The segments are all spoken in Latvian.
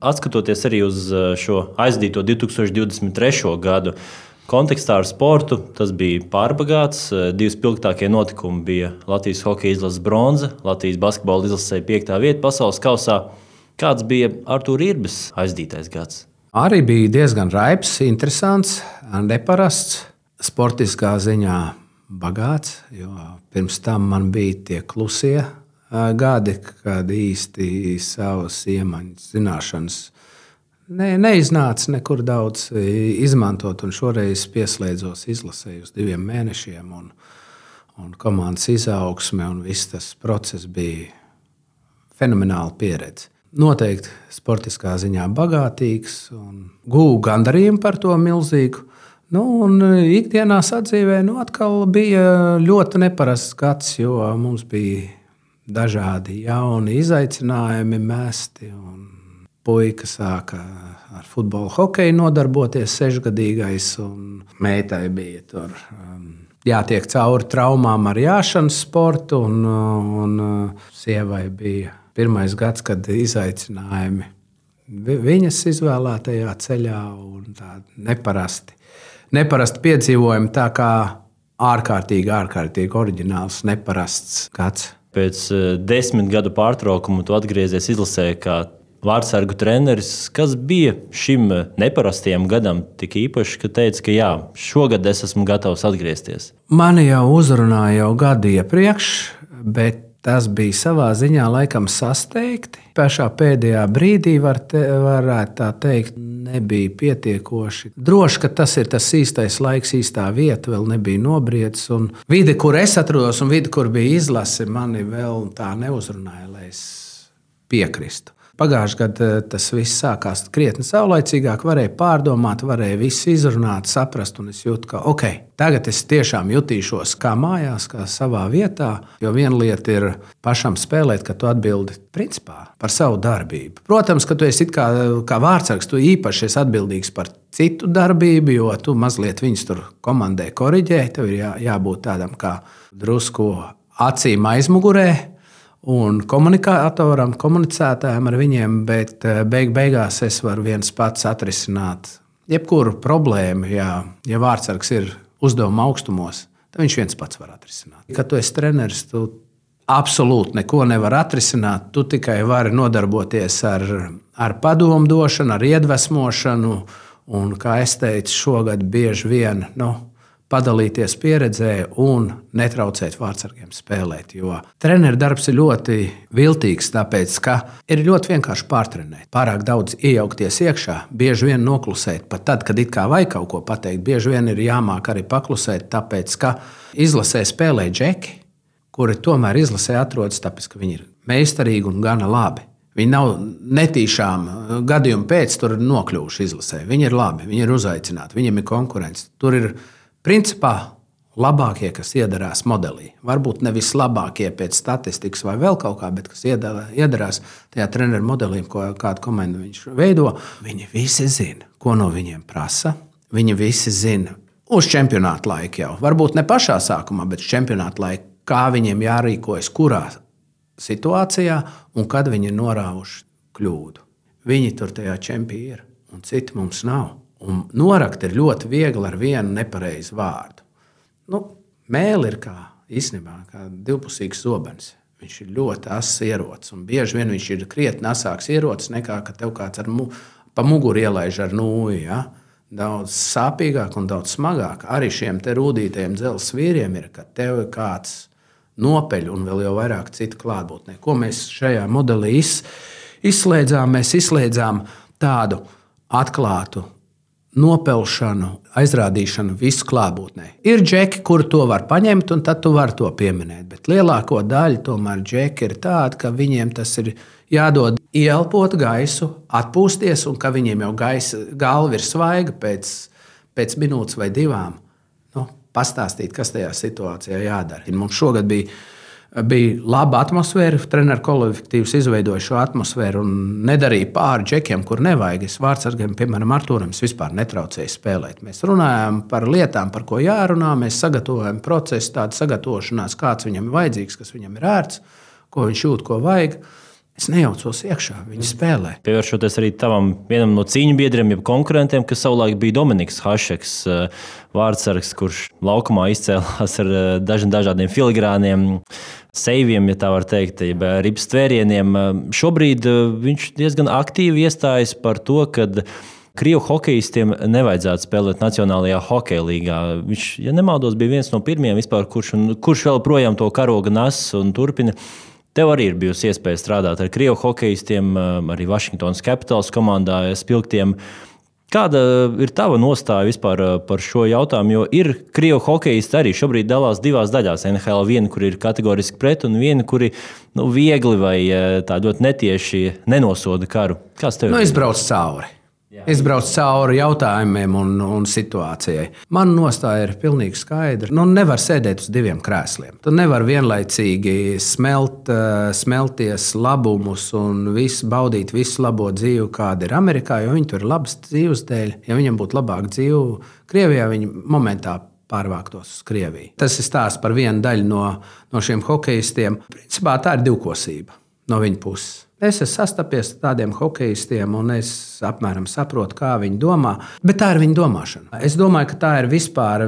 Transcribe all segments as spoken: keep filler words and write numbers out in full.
Atskatoties arī uz šo aizdīto divi tūkstoši divdesmit trešo gadu, kontekstā ar sportu tas bija pārbagāts. Divi spilgtākie notikumi bija Latvijas hokeja izlases bronza, Latvijas basketbola izlasē piektā vieta pasaules kausā. Kāds bija Artūra Irbes aizdītais gads? Arī bija diezgan raibs, interesants, neparasts, sportiskā ziņā bagāts, jo pirms tam man bija tie klusie gadi, kad īsti savas iemaņas, zināšanas Ne, neiznāca nekur daudz izmantot, un šoreiz pieslēdzos izlasē uz diviem mēnešiem, un, un komandas izaugsme, un viss tas process bija fenomenāla pieredze. Noteikti sportiskā ziņā bagātīgs, un guvu gandarījumu par to milzīgu. Nu, un ikdienā sadzīvē nu, atkal bija ļoti neparasts gads, jo mums bija dažādi jauni izaicinājumi mesti, un puika sāka ar futbolu, hokeju nodarboties, sešgadīgais, un meitai bija tur jātiek cauri traumām ar jāšanas sportu, un, un sievai bija pirmais gads, kad izaicinājumi viņas izvēlētajā ceļā, un tādi neparasti, neparasti piedzīvojumi, tā kā ārkārtīgi, ārkārtīgi oriģināls, neparasts gads. Pēc desmit gadu pārtraukuma tu atgriezies izlasē kā vārdsargu treneris. Kas bija šim neparastajam gadam tik īpaši, ka teica, ka jā, šogad es esmu gatavs atgriezties? Mani jau uzrunāja jau gadu iepriekš, bet tas bija savā ziņā laikam sasteigti. Pašā pēdējā brīdī var te, varētu tā teikt, nebija pietiekoši droši, ka tas ir tas īstais laiks, īstā vieta, vēl nebija nobriedis. Un vide, kur es atrodos, un vide, kur bija izlase, mani vēl tā neuzrunāja, lai es piekristu. Pagājušajā gadā tas viss sākās krietni saulaicīgāk, varēja pārdomāt, varēja visu izrunāt, saprast, un es jūtu, ka ok, tagad es tiešām jutīšos kā mājās, kā savā vietā, jo viena lieta ir pašam spēlēt, ka tu atbildi principā par savu darbību. Protams, ka tu esi it kā, kā vārdsargs, tu īpaši esi atbildīgs par citu darbību, jo tu mazliet viņus tur komandē koriģē, tev ir jā, jābūt tādam kā drusku acīm aizmugurē, un komunikatoram, komunicētājiem ar viņiem, bet beig beigās es varu viens pats atrisināt jebkuru problēmu. Ja, ja vārdsargs ir uzdevuma augstumos, tad viņš viens pats var atrisināt. Kad tu esi treneris, tu absolūti neko nevar atrisināt, tu tikai vari nodarboties ar, ar padomu došanu, ar iedvesmošanu, un, kā es teicu, šogad bieži vien, nu, padalīties pieredzē un netraucēt vārdsargiem spēlēt. Jo treneru darbs ir ļoti viltīgs, tāpēc, ka ir ļoti vienkārši pārtrenēt. Pārāk daudz iejaukties iekšā, bieži vien noklusēt. Pat tad, kad it kā vajag kaut ko pateikt, bieži vien ir jāmāk arī paklusēt, tāpēc, ka izlasē spēlē džeki, kuri tomēr izlasē atrodas, tāpēc, ka viņi ir meistarīgi un gana labi. Viņi nav netīšām gadījumu pēc tur nokļuvuši izlasē. Viņi ir labi, viņi ir uzaicināti, viņiem ir konkurence. Tur ir principā labākie, kas iedarās modelī. Varbūt ne vislabākie pēc statistikas vai vēl kaut kā, bet kas iedarās tajā treneru modelī, ko kādu komandu viņš veido. Viņi visi zina, ko no viņiem prasa. Viņi visi zina uz čempionāta laika jau. Varbūt ne pašā sākumā, bet čempionāta laika, kā viņiem jārīkojas, kurā situācijā un kad viņi ir norāvuši kļūdu. Viņi tur tajā čempī ir un citi mums nav. Un norakt ir ļoti viegli ar vienu nepareizu vārdu. Nu, mēli ir kā, īstenībā, kā divpusīgs zobens. Viņš ir ļoti ass ierocis, un bieži vien viņš ir krietni asāks ierocis nekā, ka tev kāds ar mu, pa muguru ielaiž ar nūju. Ja? Daudz sāpīgāk un daudz smagāk. Arī šiem te rūdītajiem dzelzs vīriem ir, ka tev ir kāds nopeļ un vēl jau vairāk citu klātbūtnē. Ko mēs šajā modelī iz, izslēdzām? Mēs izslēdzām tādu atklātu nopelšanu, aizrādīšanu visu klātbūtnē. Ir džeki, kuri to var paņemt, un tad tu vari to pieminēt. Bet lielāko daļu tomēr džeki ir tādi, ka viņiem tas ir jādod ieelpot gaisu, atpūsties, un ka viņiem jau gaisa, galva ir svaiga pēc, pēc minūtes vai divām. Nu, pastāstīt, kas tajā situācijā jādara. Mums šogad bija Bija laba atmosfēra, treneru kolektīvs izveidoja šo atmosfēru un nedarīja pāri džekiem, kur nevajag. Es vārdsargiem, piemēram, Artūram, es vispār netraucēju spēlēt. Mēs runājām par lietām, par ko jārunā, mēs sagatavojam procesu, tādu sagatavošanās, kāds viņam ir vajadzīgs, kas viņam ir ērts, ko viņš jūt, ko vajag. Es nejaucos iekšā, viņi spēlē. Pievēršoties arī tavam vienam no cīņu biedriem, jeb konkurentiem, kas savulaik bija Dominiks Hašeks, vārdsargs, kurš laukumā izcēlās ar dažiem dažādiem filigrāniem, seiviem, ja tā var teikt, jeb rips tvērieniem. Šobrīd viņš diezgan aktīvi iestājas par to, ka Krievu hokejistiem nevajadzētu spēlēt Nacionālajā hokeja līgā. Viņš, ja nemaldos, bija viens no pirmajiem vispār, kurš, un, kurš vēl projām to karoga nes un turpina. Tev arī ir bijusi iespēja strādāt ar Krievu hokejistiem, arī Washington Capitals komandā spilgtiem. Kāda ir tava nostāja vispār par šo jautājumu? Jo ir Krievu hokejisti arī šobrīd dalās divās daļās. N H L viena, kur ir kategoriski pret, un viena, kuri nu, viegli vai tā ļoti netieši nenosoda karu. Kāds tev ir? Nu, izbrauc cauri. Izbrauc cauri jautājumiem un, un situācijai. Man nostāja ir pilnīgi skaidra. Nu, nevar sēdēt uz diviem krēsliem. Tu nevari vienlaicīgi smelt, smelties labumus un visu, baudīt visu labo dzīvi, kāda ir Amerikā, jo viņi tur ir labas dzīves dēļ. Ja viņam būtu labāka dzīve Krievijā, viņi momentā pārvāktos uz Krieviju. Tas ir stāsts par vienu daļu no, no šiem hokejistiem. Principā tā ir divkosība no viņa puses. Es esmu sastapies ar tādiem hokejistiem, un es apmēram saprotu, kā viņi domā. Bet tā ir viņa domāšana. Es domāju, ka tā ir vispār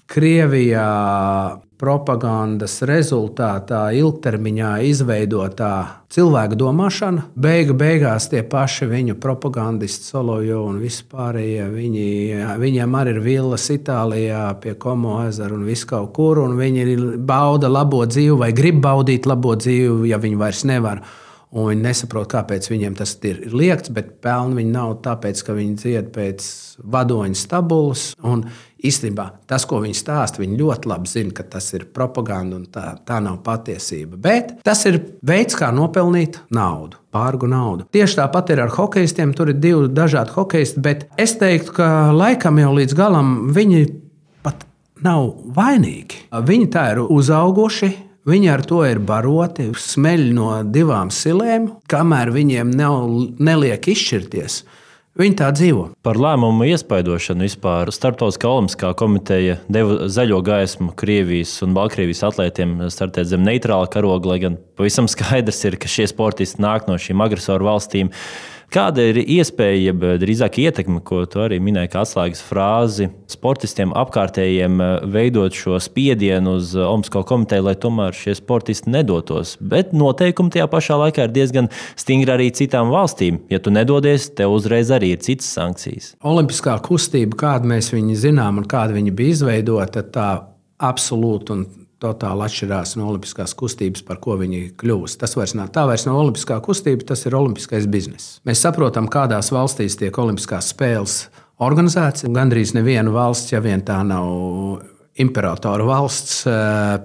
Krievijā propagandas rezultātā ilgtermiņā izveidotā cilvēka domāšana. Beigu beigās tie paši viņu propagandisti, Solovjovi un vispārējie, viņi, viņiem arī ir villas Itālijā pie Como ezera un visu kaut kur, un viņi bauda labo dzīvi vai grib baudīt labo dzīvi, ja viņi vairs nevar. Un viņi nesaprot, kāpēc viņiem tas ir liekts, bet pelna viņi nav tāpēc, ka viņi dzied pēc vadoņa stabulas. Un īstenībā tas, ko viņi stāsta, viņi ļoti labi zina, ka tas ir propaganda un tā, tā nav patiesība. Bet tas ir veids, kā nopelnīt naudu, pārgu naudu. Tieši tāpat ir ar hokejistiem, tur ir divi dažādi hokejisti, bet es teiktu, ka laikam jau līdz galam viņi pat nav vainīgi. Viņi tā ir uzauguši. Viņi ar to ir baroti, smeļ no divām silēm, kamēr viņiem nav, neliek izšķirties. Viņi tā dzīvo. Par lēmumu iespaidošanu vispār Starptautiskā olimpiskā komiteja deva zaļo gaismu Krievijas un Baltkrievijas atlētiem startēt zem neitrāla karoga, lai gan pavisam skaidrs ir, ka šie sportisti nāk no šīm agresoru valstīm. Kāda ir iespēja, jeb drīzāk ietekme, ko tu arī minēji kā atslēgas frāzi, sportistiem apkārtējiem veidot šo spiedienu uz Olimpisko komiteju, lai tomēr šie sportisti nedotos? Bet noteikumi tajā pašā laikā ir diezgan stingri arī citām valstīm. Ja tu nedodies, tev uzreiz arī ir citas sankcijas. Olimpiskā kustība, kādu mēs viņu zinām un kāda viņa bija izveidota, tā absolūti un totāli atšķirās no olimpiskās kustības, par ko viņi kļūst. Tas vairs nav, tā vairs nav olimpiskā kustība, tas ir olimpiskais bizness. Mēs saprotam, kādās valstīs tiek olimpiskās spēles organizētas. Gandrīz neviena valsts, ja vien tā nav imperatora valsts,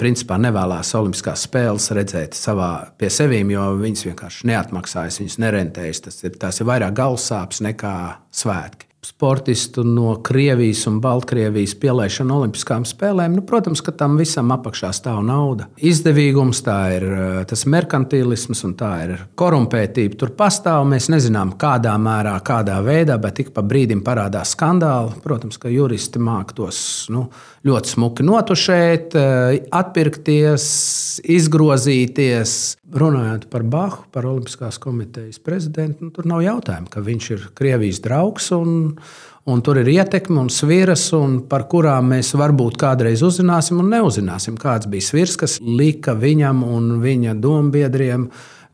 principā nevēlās olimpiskās spēles redzēt savā pie sevīm, jo viņas vienkārši neatmaksājas, viņas nerentējas. Tas ir, tās ir vairāk galvasāpes nekā svētki. Sportistu no Krievijas un Baltkrievijas pielaišana olimpiskām spēlēm, nu, protams, ka tam visam apakšā stāv nauda. Izdevīgums, tā ir tas merkantilisms un tā ir korumpētība. Tur pastāv, mēs nezinām, kādā mērā, kādā veidā, bet ik pa brīdim parādās skandāli. Protams, ka juristi māk tos nu, ļoti smuki notušēt, atpirkties, izgrozīties. Runājot par Bahu, par Olimpiskās komitejas prezidentu, nu, tur nav jautājumu, ka viņš ir Krievijas draugs un, un tur ir ietekme un sviras, un par kurām mēs varbūt kādreiz uzzināsim un neuzzināsim. Kāds bija svirs, kas lika viņam un viņa dombiedriem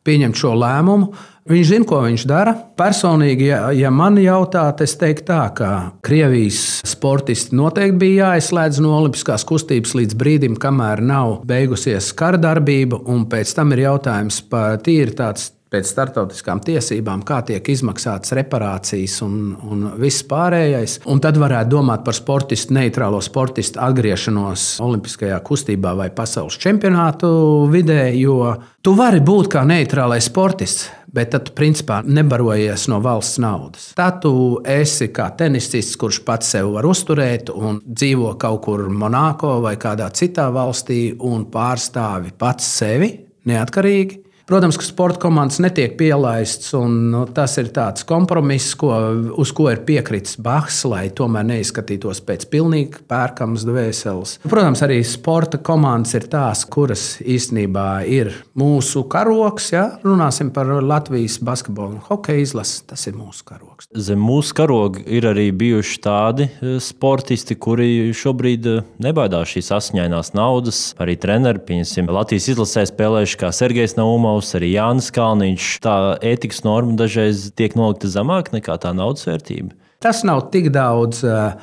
pieņemt šo lēmumu. Viņš zina, ko viņš dara. Personīgi, ja, ja man jautāt, es teiktu tā, ka Krievijas sportisti noteikti bija jāizslēdz no olimpiskās kustības līdz brīdim, kamēr nav beigusies kardarbība, un pēc tam ir jautājums par tīri tāds pēc starptautiskām tiesībām, kā tiek izmaksātas reparācijas un, un viss pārējais. Un tad varētu domāt par sportistu, neitrālo sportistu atgriešanos olimpiskajā kustībā vai pasaules čempionātu vidē, jo tu vari būt kā neitrālais sportists, bet tad tu principā nebarojies no valsts naudas. Tad tu esi kā tenisists, kurš pats sev var uzturēt un dzīvo kaut kur Monako vai kādā citā valstī un pārstāvi pats sevi neatkarīgi. Protams, ka sporta komandas netiek pielaists, un nu, tas ir tāds kompromiss, ko, uz ko ir piekritis Bahs, lai tomēr neizskatītos pēc pilnīgi pērkamas dvēseles. Protams, arī sporta komandas ir tās, kuras īstenībā ir mūsu karoks. Ja? Runāsim par Latvijas basketbolu un hokeja izlasi, tas ir mūsu karoks. Zem mūsu karoga ir arī bijuši tādi sportisti, kuri šobrīd nebaidās šīs asiņainās naudas. Arī treneri, pieņemsim, Latvijas izlasē spēlējuši kā Sergejs Naumovs, arī Jānis Kalniņš. Tā ētikas norma dažreiz tiek nolikta zemāk nekā tā naudas vērtība. Tas nav tik daudz uh,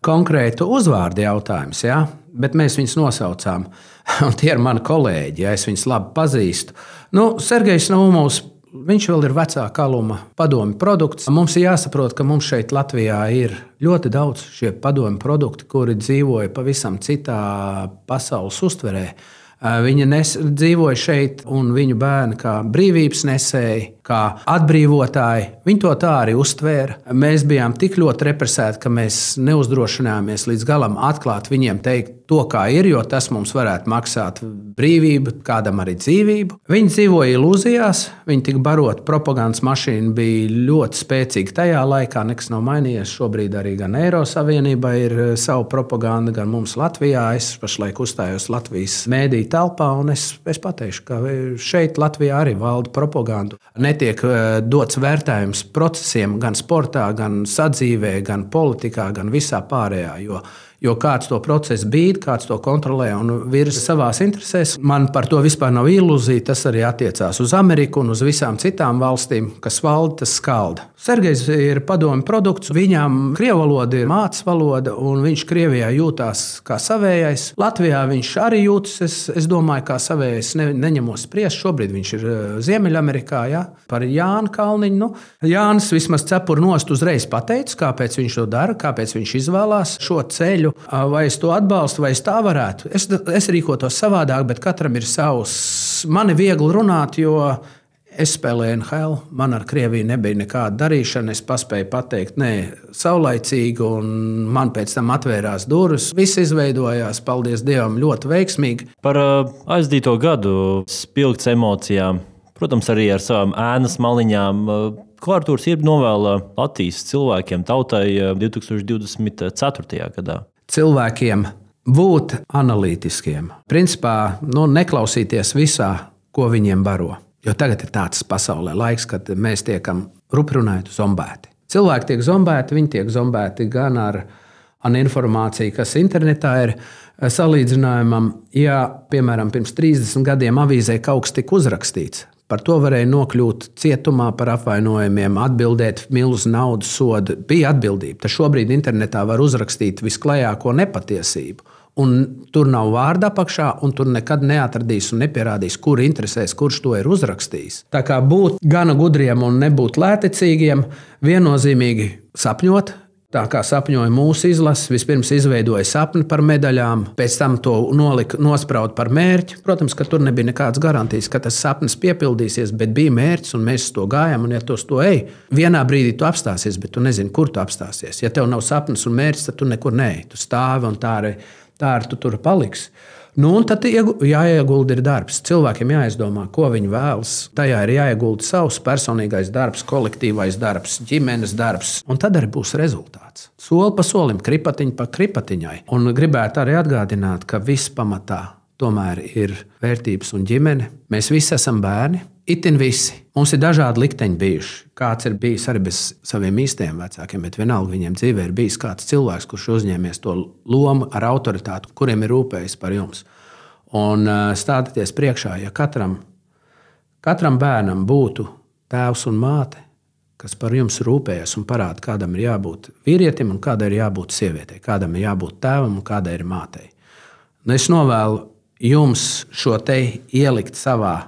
konkrētu uzvārdu jautājums, ja? Bet mēs viņus nosaucām. Un tie ir mani kolēģi, ja es viņus labi pazīstu. Nu, Sergejs Naumovs, viņš vēl ir vecā kaluma padomju produkts. Mums ir jāsaprot, ka mums šeit Latvijā ir ļoti daudz šie padomju produkti, kuri dzīvoja pavisam citā pasaules uztverē. Viņa nes, dzīvoja šeit, un viņu bērni kā brīvības nesēji, kā atbrīvotāji, viņi to tā arī uztvēra. Mēs bijām tik ļoti represēti, ka mēs neuzdrošinājāmies līdz galam atklāt viņiem teikt to, kā ir, jo tas mums varētu maksāt brīvību, kādam arī dzīvību. Viņi dzīvoja ilūzijās, viņi tika baroti, propagandas mašīna bija ļoti spēcīga tajā laikā, nekas nav mainījies. Šobrīd arī gan Eirosavienībā ir savu propagandu, gan mums Latvijā. Es pašlaik uzstājos Latvijas mēdī telpā, un es, es pateikšu, ka šeit Latvijā arī valda propaganda. Netiek dots vērtējums procesiem gan sportā, gan sadzīvē, gan politikā, gan visā pārējā, jo Jo kāds to procesu bīd, kāds to kontrolē un virza savās interesēs. Man par to vispār nav ilūzija. Tas arī attiecās uz Ameriku un uz visām citām valstīm, kas valda, tas skalda. Sergejs ir padomju produkts. Viņam krievu valoda ir mātes valoda, un viņš Krievijā jūtās kā savējais. Latvijā viņš arī jūtas, es, es domāju, kā savējais. Ne, neņemos spriest. Šobrīd viņš ir Ziemeļamerikā. Ja? Par Jānu Kalniņu. Nu, Jānis vismaz cepuru nost uzreiz pateica, kāpēc viņš to dara, kāpēc viņš izvēlās šo ceļu. Vai es to atbalstu, vai es tā varētu. Es, es rīkotos savādāk, bet katram ir savs. Man ir viegli runāt, jo es spēlēju N H L. Man ar Krieviju nebija nekāda darīšana. Es paspēju pateikt, nē, saulaicīgi, un man pēc tam atvērās durvis. Viss izveidojās, paldies Dievam, ļoti veiksmīgi. Par aizdīto gadu spilgts emocijām, protams, arī ar savām ēnas maliņām. Ko Artūrs Irba novēla Latvijas cilvēkiem, tautai divtūkstoš divdesmit ceturtajā gadā? Cilvēkiem būt analītiskiem. Principā nu, neklausīties visā, ko viņiem baro. Jo tagad ir tāds pasaulē laiks, kad mēs tiekam ruprunājot zombēti. Cilvēki tiek zombēti, viņi tiek zombēti gan ar, ar informāciju, kas internetā ir salīdzinājumam. Ja, piemēram, pirms trīsdesmit gadiem avīzē kaut kas tika uzrakstīts, par to varēja nokļūt cietumā par apvainojumiem, atbildēt milzu naudas sodu. Bija atbildība. Tas šobrīd internetā var uzrakstīt visklajāko nepatiesību. Un tur nav vārda apakšā, un tur nekad neatradīs un nepierādīs, kur interesēs, kurš to ir uzrakstījis. Tā kā būt gana gudriem un nebūt lētecīgiem, viennozīmīgi sapņot. Tā kā sapņoja mūsu izlases, vispirms izveidoja sapni par medaļām, pēc tam to nolika, nospraud par mērķi. Protams, ka tur nebija nekādas garantijas, ka tas sapnis piepildīsies, bet bija mērķis, un mēs to gājām, un ja tu uz to ej, vienā brīdī tu apstāsies, bet tu nezini, kur tu apstāsies. Ja tev nav sapnis un mērķis, tad tu nekur neej. Tu stāvi, un tā arī, tā arī tu tur paliksi. Nu, un tad jāiegulda ir darbs. Cilvēkiem jāizdomā, ko viņi vēlas. Tajā ir jāiegulda savs personīgais darbs, kolektīvais darbs, ģimenes darbs. Un tad arī būs rezultāts. Soli pa solim, kripatiņa pa kripatiņai. Un gribētu arī atgādināt, ka viss pamatā tomēr ir vērtības un ģimene. Mēs visi esam bērni. Itin visi. Mums ir dažādi likteņi bijuši. Kāds ir bijis arī bez saviem īstajiem vecākiem, bet vienalga viņiem dzīvē ir bijis kāds cilvēks, kurš uzņēmies to lomu ar autoritāti, kuriem ir rūpējis par jums. Un stādieties priekšā, ja katram, katram bērnam būtu tēvs un māte, kas par jums rūpējas un parāda, kādam ir jābūt vīrietim un kādai ir jābūt sievietei, kādam ir jābūt tēvam un kādai ir mātei. Un es novēlu jums šo te ielikt savā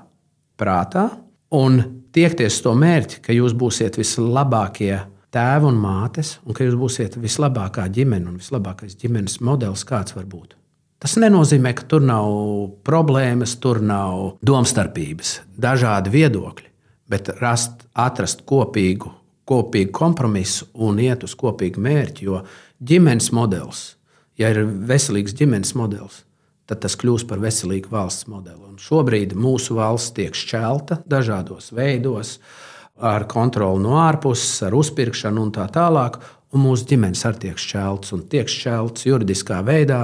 prātā un tiekties to mērķi, ka jūs būsiet vislabākie tēvi un mātes, un ka jūs būsiet vislabākā ģimene un vislabākais ģimenes modelis, kāds var būt. Tas nenozīmē, ka tur nav problēmas, tur nav domstarpības, dažādi viedokļi, bet rast, atrast kopīgu, kopīgu kompromisu un iet uz kopīgu mērķi, jo ģimenes modelis, ja ir veselīgs ģimenes modelis, tad tas kļūs par veselīgu valsts modeli. Un šobrīd mūsu valsts tiek šķelta dažādos veidos, ar kontroli no ārpuses, ar uzpirkšanu un tā tālāk. Un mūsu ģimenes arī tiek šķeltas un tiek šķeltas juridiskā veidā.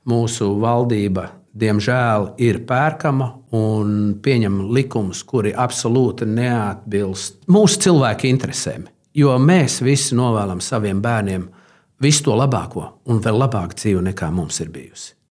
Mūsu valdība, diemžēl, ir pērkama un pieņem likumus, kuri absolūti neatbilst mūsu cilvēku interesēm. Jo mēs visi novēlam saviem bērniem visu to labāko un vēl labāku dzīvi nekā mums ir bijusi.